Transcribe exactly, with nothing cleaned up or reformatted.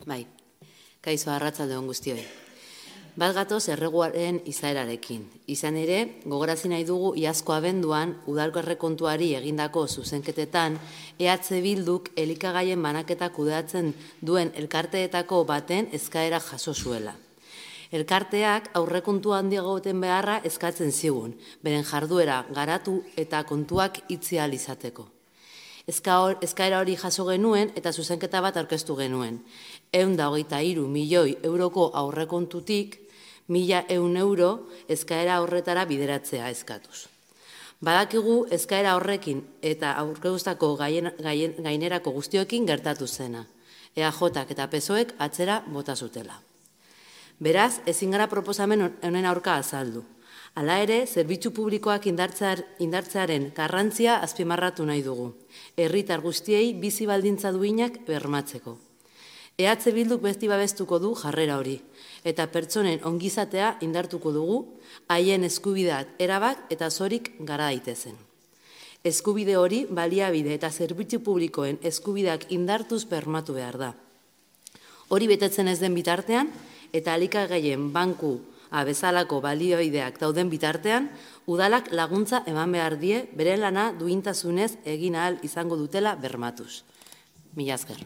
Bai, kaixo arratsalde on guztioi. Bat gatoz erreguaren izaerarekin. Izan ere, gogorazi nahi dugu iazko abenduan udalko errekontuari egindako zuzenketetan E H Bilduk elikagaien banaketa kudeatzen duen elkarteetako baten eskaera jaso zuela. Elkarteak aurrekontu handiagoten beharra eskatzen zigun, beren jarduera garatu eta kontuak itzi ahal izateko. Eskaera hori jaso genuen eta zuzenketa bat aurkeztu genuen. Ehun eta hogeita hiru milioi euroko aurrekontutik mila ehun euro eskaera horretara bideratzea eskatuz. Badakigu eskaera horrekin eta aurkeztutako gainerako guztioekin gertatu zena. E A Jak eta P S O Ek atzera bota zutela. Beraz, ezin gara proposamen honen aurka azaldu. Hala ere, zerbitzu publikoak indartzearen garrantzia azpimarratu nahi dugu. Herritar guztiei bizi baldintza duinak bermatzeko. E H Bilduk beti babestuko du jarrera hori, eta pertsonen ongizatea indartuko dugu, haien eskubideak erabak eta zorik gara daitezen. Eskubide hori baliabide eta zerbitzu publikoen eskubideak indartuz bermatu behar da. Hori betetzen ez den bitartean, eta elikagaien banku bezalako baliabideak dauden bitartean, udalak laguntza eman behar die bere lana duintasunez egin ahal izango dutela bermatuz. Mila esker.